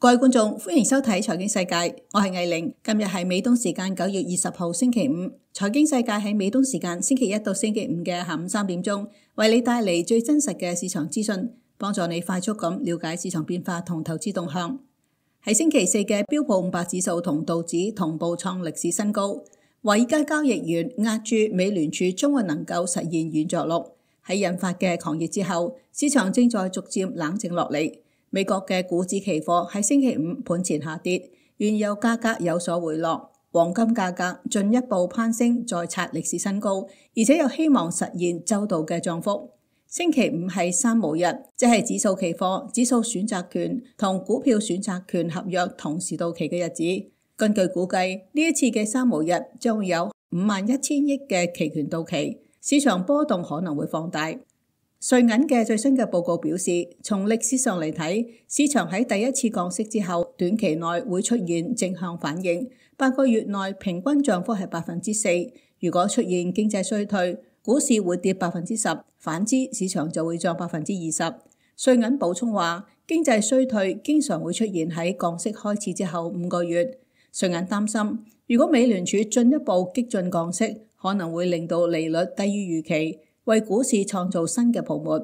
各位觀眾，歡迎收睇財經世界，我係藝玲。今日係美東時間9月20號星期五，財經世界喺美東時間星期一到星期五嘅下午3點鐘，為你帶嚟最真實嘅市場資訊，幫助你快速咁了解市場變化同投資動向。喺星期四嘅標普500指數同道指同步創歷史新高，華爾街交易員押注美聯儲將會能夠實現軟着陸。喺引發嘅狂熱之後，市場正在逐漸冷靜落嚟。美國嘅股指期貨喺星期五盤前下跌，原油價格有所回落，黃金價格進一步攀升，再刷歷史新高，而且有希望實現周度嘅漲幅。星期五係三無日，即係指數期貨、指數選擇權同股票選擇權合約同時到期嘅日子。根據估計，呢一次嘅三無日將會有51,000億嘅期權到期，市場波動可能會放大。瑞銀嘅最新嘅報告表示，從歷史上嚟睇，市場喺第一次降息之後，短期內會出現正向反應，8個月內平均漲幅係4%。如果出現經濟衰退，股市會跌10%，反之市場就會漲20%。瑞銀補充話，經濟衰退經常會出現喺降息開始之後5個月。瑞銀擔心，如果美聯儲進一步激進降息，可能會令到利率低於預期，為股市創造新嘅泡沫。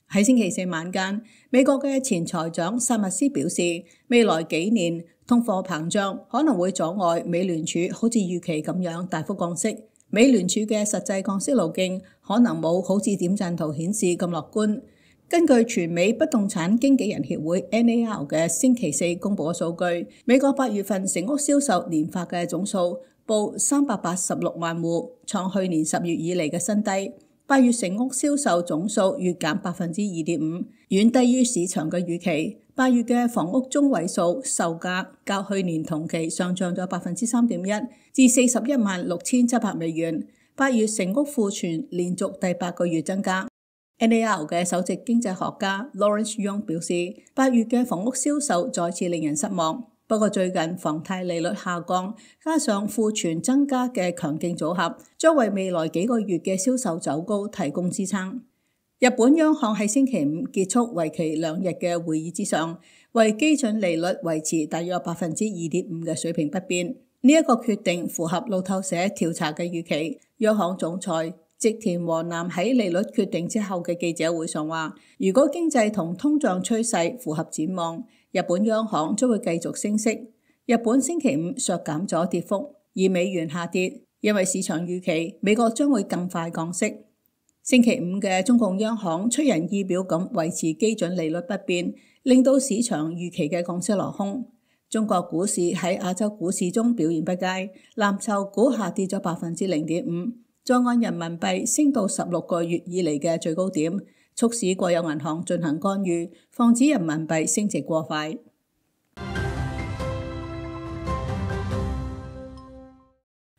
喺星期四晚間，美國嘅前財長薩默斯表示，未來幾年通貨膨脹可能會阻礙美聯儲好似預期咁樣大幅降息。美聯儲嘅實際降息路徑可能冇好似點陣圖顯示咁樂觀。根據全美不動產經紀人協會 NAR 嘅星期四公佈嘅數據，美國8月份成屋銷售年化嘅總數報386萬戶，創去年10月以嚟嘅新低。8月成屋銷售總數月減2.5%，遠低於市場嘅預期。8月嘅房屋中位數售價較去年同期上漲咗3.1%，至416700美元。8月成屋庫存連續第8個月增加。NAR 嘅首席經濟學家 Lawrence Yun 表示，8月嘅房屋銷售再次令人失望。不過最近房貸利率下降，加上庫存增加嘅強勁組合，將為未來幾個月嘅銷售走高提供支撐。日本央行喺星期五結束為期2日嘅會議之上，為基準利率維持大約2.5%嘅水平不變。呢一個決定符合路透社調查嘅預期。央行總裁植田和男喺利率決定之後嘅記者會上話，如果經濟同通脹趨勢符合展望，日本央行將會繼續升息。日本星期五削減咗跌幅，而美元下跌，因為市場預期美國將會更快降息。星期五嘅中共央行出人意表咁維持基準利率不變，令到市場預期嘅降息落空。中國股市喺亞洲股市中表現不佳，藍籌股下跌咗0.5%，在岸人民幣升到16個月以嚟嘅最高點，促使國有銀行進行干預，防止人民幣升值過快。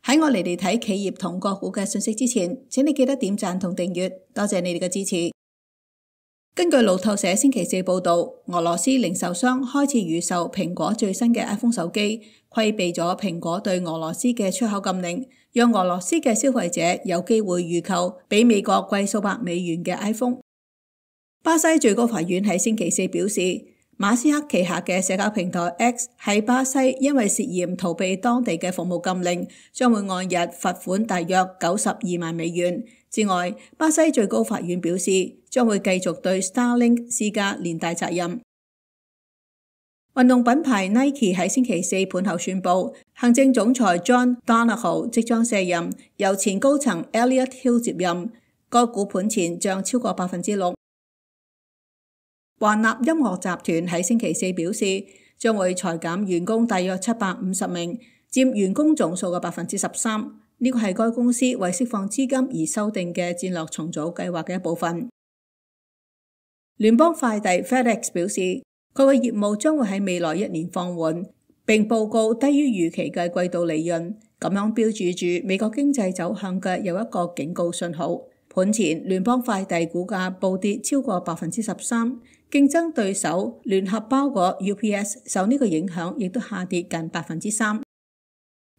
喺我嚟睇企業同個股嘅信息之前，請你記得點讚同訂閱，多謝你哋嘅支持。根據路透社星期四報道，俄羅斯零售商開始預售蘋果最新嘅 iPhone 手機，規避咗蘋果對俄羅斯嘅出口禁令，讓俄羅斯嘅消費者有機會預購比美國貴數百美元嘅 iPhone。巴西最高法院喺星期四表示，馬斯克旗下嘅社交平台 X 喺巴西因為涉嫌逃避當地嘅服務禁令，將會按日罰款大約92萬美元。之外，巴西最高法院表示，將會繼續對 Starlink 施加連帶責任。運動品牌 Nike 喺星期四盤後宣布，行政總裁 John Donahoe 即將卸任，由前高層 Elliott Hill 接任。該股盤前漲超過6%。華納音樂集團喺星期四表示，將會裁減員工大約750名，佔員工總數嘅13%。呢個係該公司為釋放資金而修訂嘅戰略重組計劃嘅一部分。聯邦快遞 FedEx 表示，佢嘅業務將會喺未來1年放緩，並報告低於預期嘅季度利潤，咁樣標註住美國經濟走向嘅有一個警告信號。盤前聯邦快遞股價暴跌超過13%，競爭對手聯合包裹 UPS 受呢個影響，亦都下跌近3%。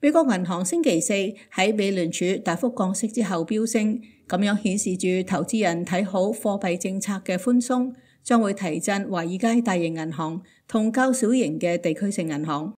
美國銀行星期四喺美聯儲大幅降息之後飆升，咁樣顯示住投資人睇好貨幣政策嘅寬鬆，將會提振華爾街大型銀行同較小型嘅地區性銀行。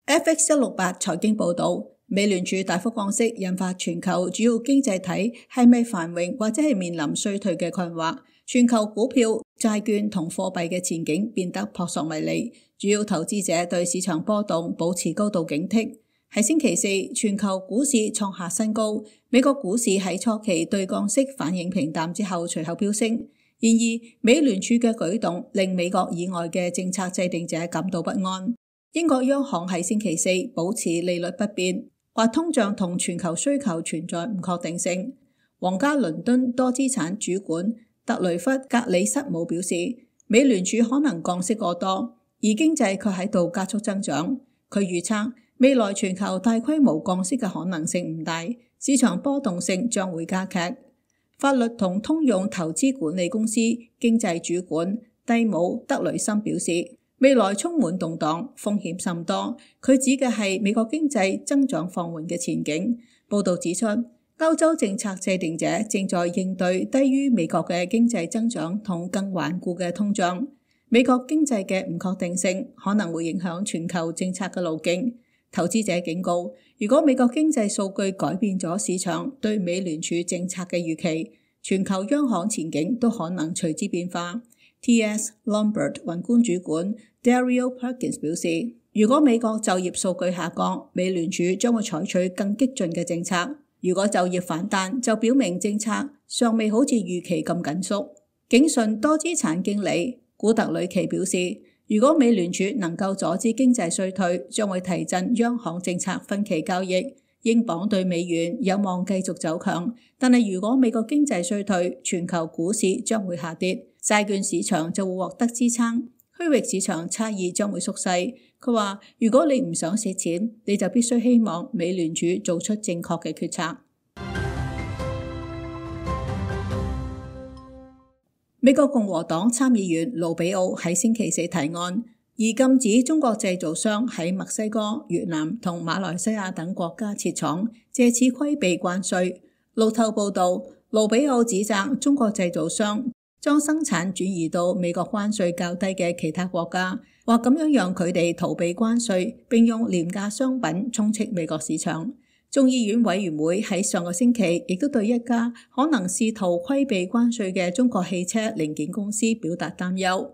FX168財經報導，美聯儲大幅降息引發全球主要經濟體係咪繁榮或者係面臨衰退嘅困惑，全球股票、債券同貨幣嘅前景變得撲朔迷離，主要投資者對市場波動保持高度警惕。喺星期四，全球股市創下新高，美國股市喺初期對降息反應平淡之後隨後飆升。然而，美聯儲嘅舉動令美國以外嘅政策制定者感到不安。英國央行喺星期四保持利率不變，話通脹同全球需求存在唔確定性。皇家倫敦多資產主管特雷弗格里瑟姆表示，美聯儲可能降息過多，而經濟卻喺度加速增長。佢預測未來全球大規模降息嘅可能性唔大，市場波動性將會加劇。法律同通用投資管理公司經濟主管蒂姆德雷森表示，未來充滿動盪，風險甚多。佢指嘅係美國經濟增長放緩嘅前景。報導指出，歐洲政策制定者正在應對低於美國嘅經濟增長同更頑固嘅通脹。美國經濟嘅唔確定性可能會影響全球政策嘅路徑。投資者警告，如果美國經濟數據改變咗市場對美聯儲政策嘅預期，全球央行前景都可能隨之變化。T.S. Lombard 宏觀主管 Dario Perkins 表示，如果美國就業數據下降，美聯儲將會採取更激進嘅政策；如果就業反彈，就表明政策尚未好似預期咁緊縮。景順多資產經理古特里奇表示，如果美聯儲能夠阻止經濟衰退，將會提振央行政策分歧交易。英鎊對美元有望繼續走強，但係如果美國經濟衰退，全球股市將會下跌，債券市場就會獲得支撐，區域市場差異將會縮細。佢話，如果你唔想蝕錢，你就必須希望美聯儲做出正確嘅決策。美國共和黨參議員盧比奧喺星期四提案，而禁止中國製造商喺墨西哥、越南同馬來西亞等國家設廠，借此規避關稅。路透報道，盧比奧指責中國製造商將生產轉移到美國關稅較低嘅其他國家，話咁樣讓佢哋逃避關稅，並用廉價商品充斥美國市場。眾議院委員會喺上個星期亦都對一家可能試圖規避關稅嘅中國汽車零件公司表達擔憂。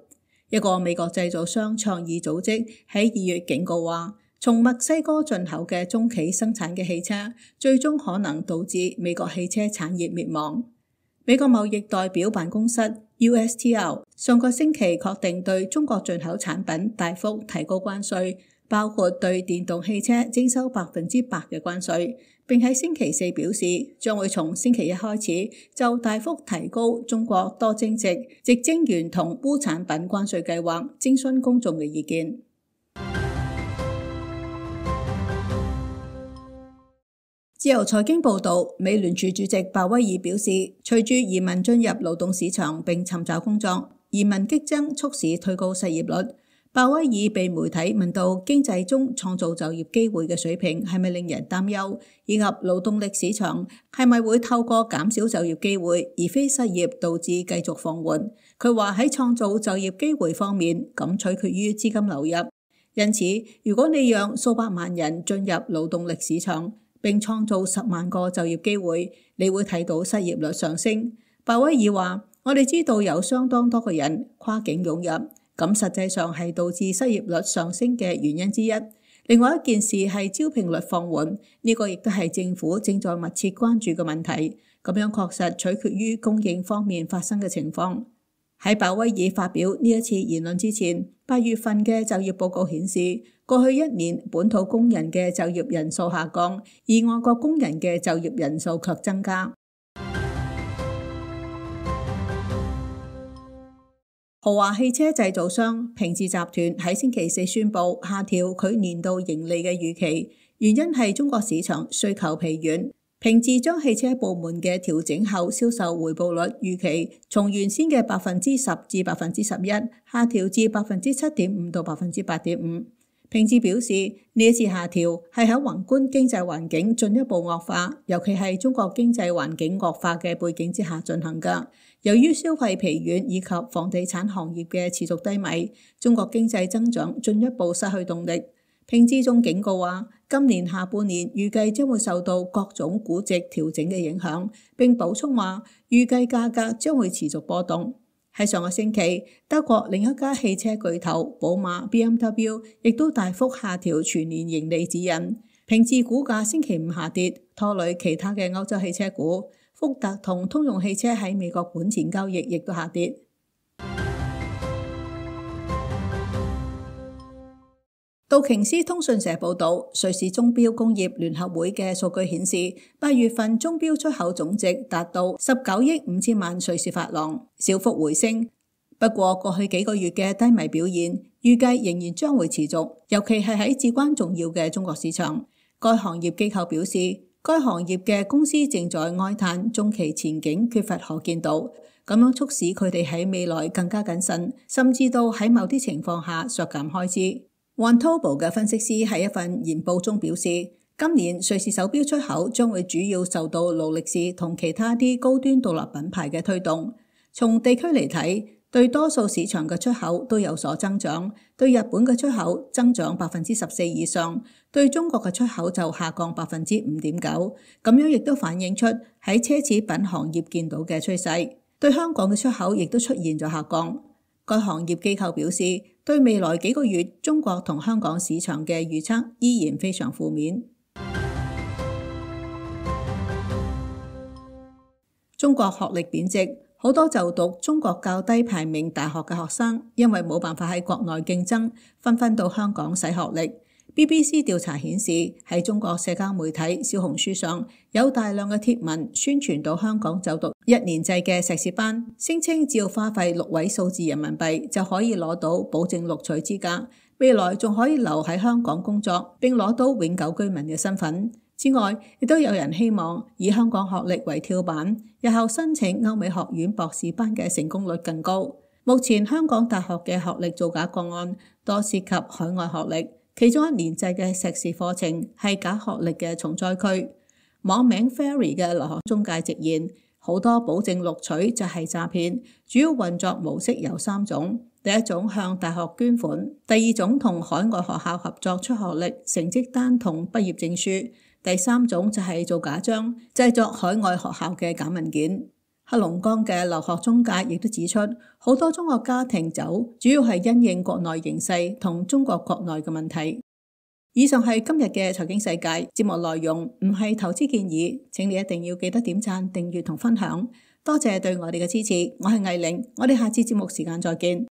一個美國製造商倡議組織喺2月警告話，從墨西哥進口嘅中企生產嘅汽車，最終可能導致美國汽車產業滅亡。美國貿易代表辦公室 USTR 上個星期確定對中國進口產品大幅提高關稅，包括對電動汽車徵收100%嘅關稅，並喺星期四表示將會從星期一開始就大幅提高中國多晶矽、矽晶圓同鎢產品關稅計劃徵詢公眾嘅意見。自由財經報導，美聯儲主席鮑威爾表示，隨住移民進入勞動市場並尋找工作，移民激增促使推高失業率。鮑威爾被媒體問到經濟中創造就業機會嘅水平係咪令人擔憂，以及勞動力市場係咪會透過減少就業機會而非失業導致繼續放緩。佢話喺創造就業機會方面，咁取決於資金流入。因此，如果你讓數百萬人進入勞動力市場並創造10萬個就業機會，你會睇到失業率上升。鮑威爾話，我哋知道有相當多嘅人跨境湧入，咁實際上係導致失業率上升嘅原因之一。另外一件事係招聘率放緩，呢個亦都係政府正在密切關注嘅問題。咁樣確實取決於供應方面發生嘅情況。喺鮑威爾發表呢一次言論之前，8月份嘅就業報告顯示，過去1年本土工人嘅就業人數下降，而外國工人嘅就業人數卻增加。豪華汽車製造商平治集團喺星期四宣布下調佢年度盈利嘅預期，原因係中國市場需求疲軟。平治將汽車部門嘅調整後銷售回報率預期從原先嘅10%至11%下調至7.5%到8.5%。平治表示，呢一次下調係喺宏觀經濟環境進一步惡化，尤其係中國經濟環境惡化嘅背景之下進行㗎。由於消費疲軟以及房地產行業嘅持續低迷，中國經濟增長進一步失去動力。平治仲警告話，今年下半年預計將會受到各種估值調整嘅影響，並補充話，預計價格將會持續波動。喺上個星期，德國另一家汽車巨頭寶馬 BMW 亦都大幅下調全年盈利指引。平治股價星期五下跌，拖累其他嘅歐洲汽車股。福特同通用汽車喺美國本錢交易亦都下跌。道瓊斯通訊社報導，瑞士鐘錶工業聯合會嘅數據顯示，8月份鐘錶出口總值達到19億5千萬瑞士法郎，小幅回升。不過過去幾個月嘅低迷表現，預計仍然將會持續，尤其係喺至關重要嘅中國市場。該行業機構表示，該行業嘅公司正在哀嘆中期前景缺乏可見度，咁樣促使佢哋喺未來更加謹慎，甚至到喺某啲情況下削減開支。Vontobel 嘅分析師喺一份研報中表示，今年瑞士手錶出口將會主要受到勞力士同其他啲高端獨立品牌嘅推動。從地區嚟睇，對多數市場嘅出口都有所增長，對日本嘅出口增長14%以上，對中國嘅出口就下降5.9%。咁樣亦都反映出喺奢侈品行業見到嘅趨勢。對香港嘅出口亦都出現咗下降。該行業機構表示，對未來幾個月中國同香港市場嘅預測依然非常負面。中國學歷貶值，好多就讀中國較低排名大學嘅學生，因為冇辦法喺國內競爭，紛紛到香港洗學歷。BBC 調查顯示，喺中國社交媒體小紅書上有大量嘅貼文宣傳到香港就讀1年制嘅碩士班，聲稱只要花費6位數字人民幣就可以攞到保證錄取資格，未來仲可以留喺香港工作並攞到永久居民嘅身份。之外，亦都有人希望以香港學歷為跳板，日後申請歐美學院博士班嘅成功率更高。目前香港大學嘅學歷造假個案多涉及海外學歷。其中1年制嘅碩士課程係假學歷嘅重災區。網名 Fairy 嘅留學中介直言，好多保證錄取就係詐騙，主要運作模式有3種。第一種向大學捐款，第二種同海外學校合作出學歷成績單同畢業證書，第三種就係做假章，製作海外學校嘅假文件。黑龍江嘅留學中介亦都指出，好多中國家庭走主要係因應國內形勢同中國國內嘅問題。以上係今日嘅財經世界節目內容，唔係投資建議，請你一定要記得點讚、訂閱同分享。多謝對我哋嘅支持，我係魏玲，我哋下次節目時間再見。